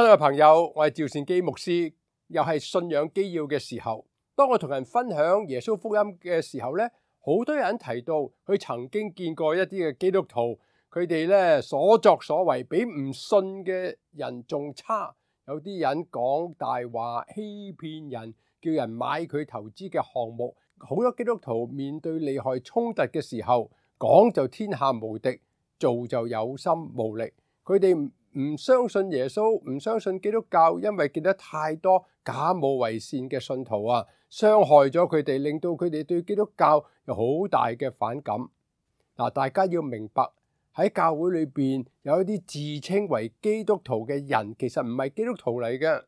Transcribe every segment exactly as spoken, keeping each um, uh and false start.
親愛朋友，我係趙善基牧師，又係信仰基要嘅時候。當我同人分享耶穌福音嘅時候咧，好多人提到佢曾經見過一啲嘅基督徒，佢哋咧所作所為比唔信嘅人仲差。有啲人講大話，欺騙人，叫人買佢投資嘅項目。好多基督徒面對利害衝突嘅時候，講就天下無敵，做就有心無力。佢哋唔相信耶穌，唔相信基督教，因為見得太多假冒為善嘅信徒啊，傷害咗佢哋，令到佢哋對基督教有好大嘅反感。嗱，大家要明白喺教會裏邊有一啲自稱為基督徒嘅人，其實唔係基督徒嚟嘅。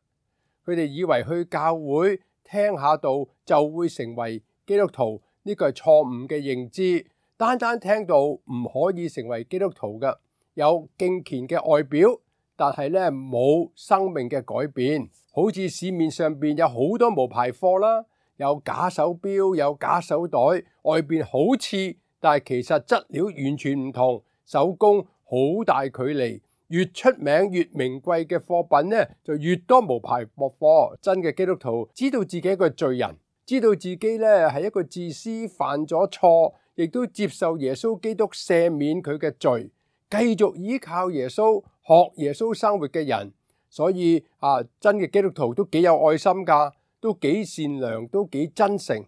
佢哋以為去教會聽下道就會成為基督徒，呢個係錯誤嘅認知。單單聽道唔可以成為基督徒嘅。有敬虔嘅外表，但係咧冇生命嘅改變。好似市面上邊有好多冒牌貨啦，有假手錶，有假手袋，外邊好似，但係其實質料完全唔同，手工好大距離。越出名越名貴嘅貨品咧，就越多冒牌貨貨。真嘅基督徒知道自己係一個罪人，知道自己咧係一個自私，犯咗錯，亦都接受耶穌基督赦免佢嘅罪。繼續依靠耶穌，學耶穌生活嘅人，所以啊，真嘅基督徒都幾有愛心噶，都幾善良，都幾真誠。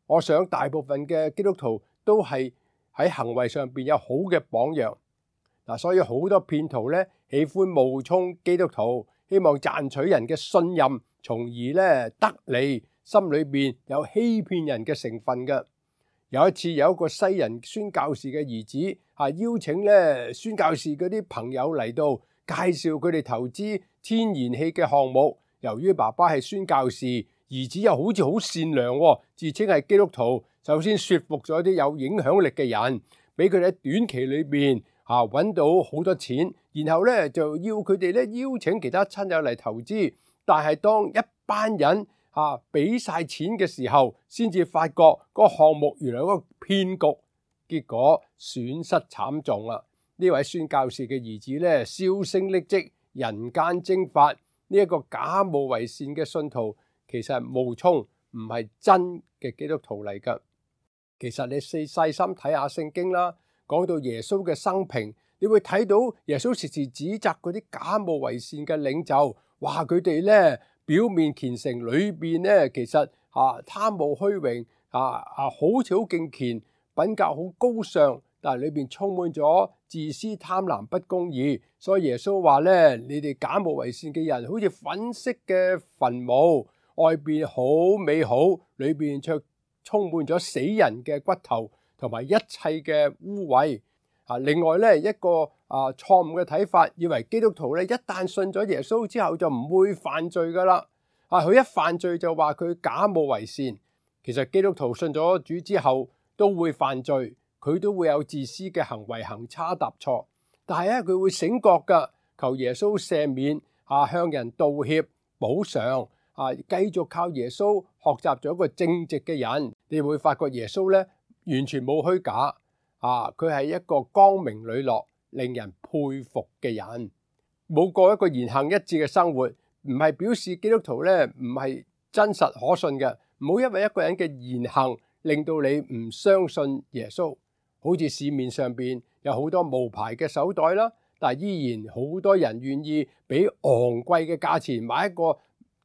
我想大部分嘅基督徒都係喺行為上邊有好嘅榜樣。嗱，所以好多騙徒咧喜歡冒充基督徒，希望賺取人嘅信任，從而咧得利，心裏邊有欺騙人嘅成分嘅。有一次有一個西人宣教士嘅兒子啊，邀請咧宣教士嗰啲朋友嚟到介紹佢哋投資天然氣嘅項目。由於爸爸係宣教士，兒子又好似好善良，自稱係基督徒，首先說服咗啲有影響力嘅人，俾佢哋喺短期裏邊啊揾到好多錢，然後咧就要佢哋咧邀請其他親友嚟投資。但係當一班人啊！俾晒錢嘅時候，先至發覺嗰個項目原來係個騙局，結果損失慘重啦。呢位宣教士嘅兒子咧，銷聲匿跡，人間蒸發。呢一個假冒為善嘅信徒，其實係冒充，唔係真嘅基督徒嚟噶。其實你細細心睇下聖經啦，講到耶穌嘅生平，你會睇到耶穌時時指責嗰啲假冒為善嘅領袖，話佢哋咧。表面虔誠，裏邊咧其實啊貪慕虛榮，啊啊好似好敬虔，品格好高尚，但係裏邊充滿咗自私、貪婪、不公義。所以耶穌話咧：你哋假冒為善嘅人，好似粉飾嘅墳墓，外邊好美好，裏邊卻充滿咗死人嘅骨頭同埋一切嘅污穢。啊，另外咧一個啊錯誤嘅睇法，以為基督徒咧一旦信咗耶穌之後就唔會犯罪噶啦。啊，佢一犯罪就話佢假冒為善。其實基督徒信咗主之後都會犯罪，佢都會有自私嘅行為，行差踏錯。但係咧佢會醒覺噶，求耶穌赦免，啊向人道歉補償，啊繼續靠耶穌學習咗一個正直嘅人。你會發覺耶穌咧完全冇虛假。啊！佢係一個光明磊落、令人佩服嘅人，冇過一個言行一致嘅生活，唔係表示基督徒咧唔係真實可信嘅。唔好因為一個人嘅言行令到你唔相信耶穌。好似市面上邊有好多冒牌嘅手袋啦，但係依然好多人願意俾昂貴嘅價錢買一個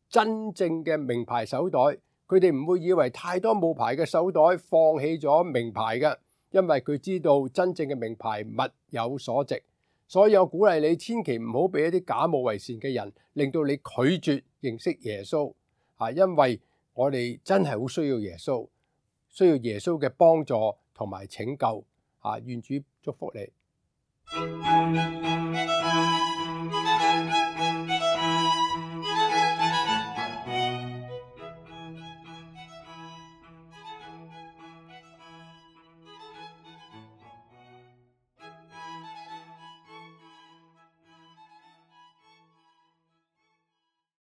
真正嘅名牌手袋。佢哋唔會以為太多冒牌嘅手袋放棄咗名牌嘅。因為佢知道真正嘅名牌物有所值，所以我鼓勵你千祈唔好俾一啲假冒為善嘅人令到你拒絕認識耶穌啊！因為我哋真係好需要耶穌，需要耶穌嘅幫助同埋拯救啊！願主祝福你。